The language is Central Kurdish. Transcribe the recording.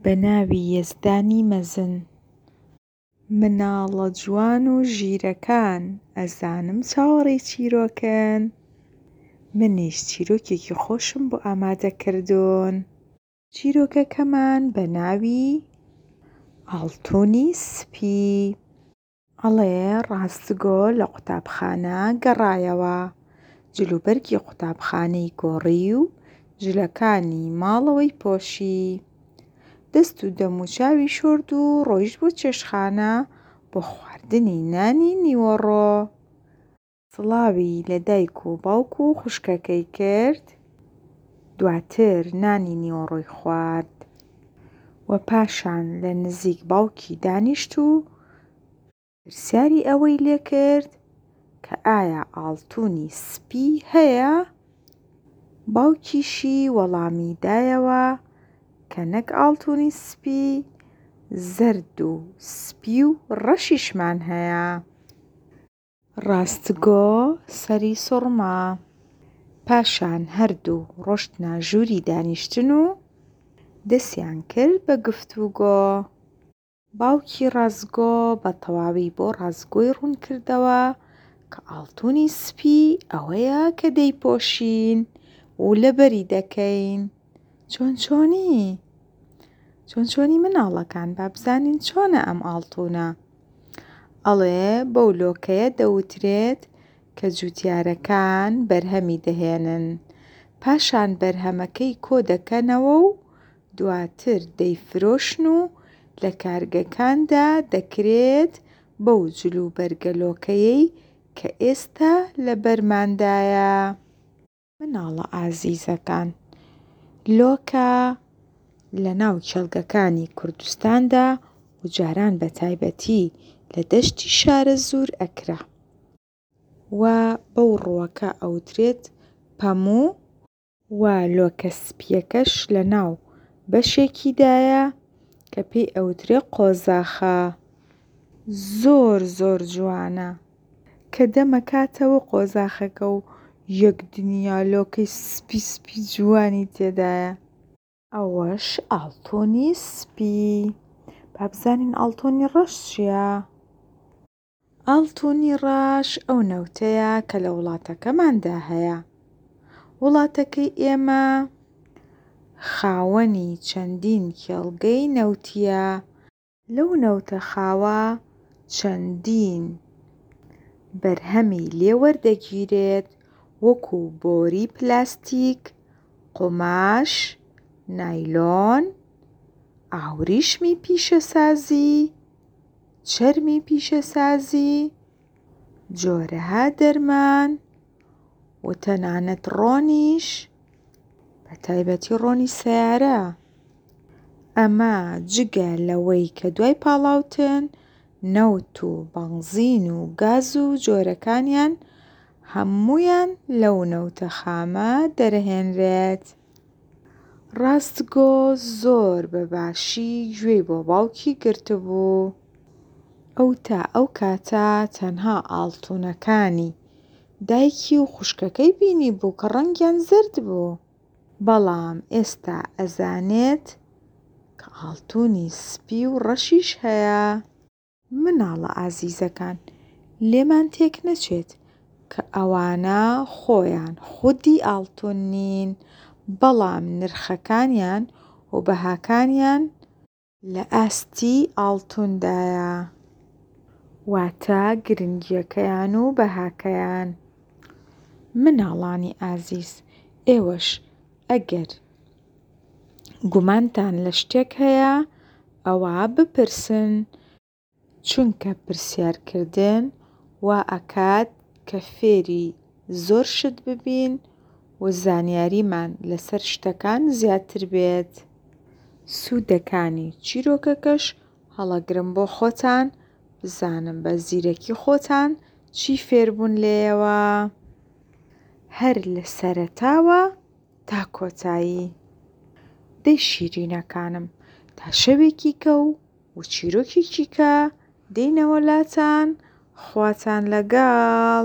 بە ناوی یەزدانی مەزن. مناڵە جوان و ژیرەکان ئەزانم چاوەڕێی چیرۆکن منیش چیرۆکێکی خۆشم بۆ ئامادە کردوون. چیرۆکەکەمان بە ناوی ئاڵتوونی سپی. ئەڵێ ڕاستگۆ لە قوتابخانە گەڕایەوە، جلوبەرگی قوتابخانەی گۆڕی و جلەکانی ماڵەوەی پۆشی. دەست و دەموچاوی شۆرد و ڕۆیشت بۆ چێشتخانە بۆ خواردنی نانی نیوەڕۆ. سڵاوی لە دایک و باوک و خوشکەکەی کرد، دواتر نانی نیوەڕۆی خوارد و پاشان لە نزیک باوکی دانیشت و پرسیاری ئەوەی لێ کرد کە ئایا ئاڵتوونی سپی هەیە؟ باوکیشی وەڵامی دایەوە کە نەک ئاڵتوونی سپی، زەرد و سپی و ڕەشیشمان هەیە. ڕاستگۆ سەری سوڕما. پاشان هەردوو ڕۆشتنە ژووری دانیشتن و دەسیان کرد بە گفتوگۆ. باوکی ڕاستگۆ بە تەواوی بۆ ڕاستگۆی ڕوون کردەوە کە ئاڵتوونی سپی ئەوەیە کە دەیپۆشین و لەبەری دەکەین. چۆن چۆنی؟ چۆن چۆنی مناڵەکان با بزانین چۆنە ئەم ئاڵتوونە. ئەڵێ بەو لۆکەیە دەوترێت کە جوتیارەکان بەرهەمی دەهێنن، پاشان بەرهەمەکەی کۆ دەکەنەوە و دواتر دەیفرۆشن و لە کارگەکاندا دەکرێت بەو جلوبەرگە لۆکەیەی کە ئێستا لەبەرماندایە. مناڵە ئازیزەکان، لۆکە لە ناو کێڵگەکانی کوردستاندا و جاران بە تایبەتی لە دەشتی شارەزوور ئەکرا و بەو ڕووەکە ئەوترێت پەموو، و لۆکە سپییەکەش لە ناو بەشێکیدایە کە پێی ئەوترێ قۆزاخە. زۆر زۆر جوانە کە دەمەکاتەوە قۆزاخەکە و یەک دنیا لۆکەی سپی سپی جوانی تێدایە. ئەوەش ئاڵتوونی سپی. با بزانین ئاڵتوونی ڕەش چییە؟ ئاڵتوونی ڕەش ئەو نەوتەیە کە لە وڵاتەکەماندا هەیە. وڵاتەکەی ئێمە خاوەنی چەندین کێڵگەی نەوتییە. لەو نەوتە خاوە چەندین بەرهەمی لێ وەردەگیرێت وەکو بۆری پلاستیک، قوماش، نایلۆن، ئاوریشمی پیشەسازی، چەرمی پیشەسازی، جۆرەها دەرمان و تەنانەت ڕۆنیش بە تایبەتی ڕۆنی سەیارە. ئەمە جگە لەوەی کە دوای پاڵاوتن نەوت و بەنزین و گاز و جۆرەکانیان هەموویان لەو نەوتە خامە دەرەهێنرێت. ڕاستگۆ زۆر بە باشی گوێی بۆ باوکی گرتبوو. ئەو تا ئەو کاتە تەنها ئاڵتوونەکانی دایکی و خوشکەکەی بینیبوو کە ڕەنگیان زەرد بوو. بەڵام ئێستا ئەزانێت کە ئاڵتوونی سپی و ڕەشیش هەیە. مناڵە ئازیزەکان لێمان تێک نەچێت کە ئەوانە خۆیان خودی ئاڵتون نین بەڵام نرخەکانیان و بەهاکانیان لە ئاستی ئاڵتوندایە واتە گرنگیەکەیان و بەهاکەیان. مناڵانی ئازیز ئێوەش ئەگەر گومانتان لە شتێک هەیە ئەوا بپرسن، چونکە پرسیارکردن وا ئەکات کە فێری زۆر شت ببین و زانیاریمان لەسەر شتەکان زیاتر بێت. سوودەکانی چیرۆکەکەش هەڵەگرن بۆ خۆتان بزانن بە زیرەکی خۆتان چی فێربوون لێیەوە هەر لە سەرەتاوە تا کۆتایی. دەی شیرینەکانم تا شەوێکی کە و و چیرۆکێکی کە دێینەوە لاتان خواتان لەگەڵ.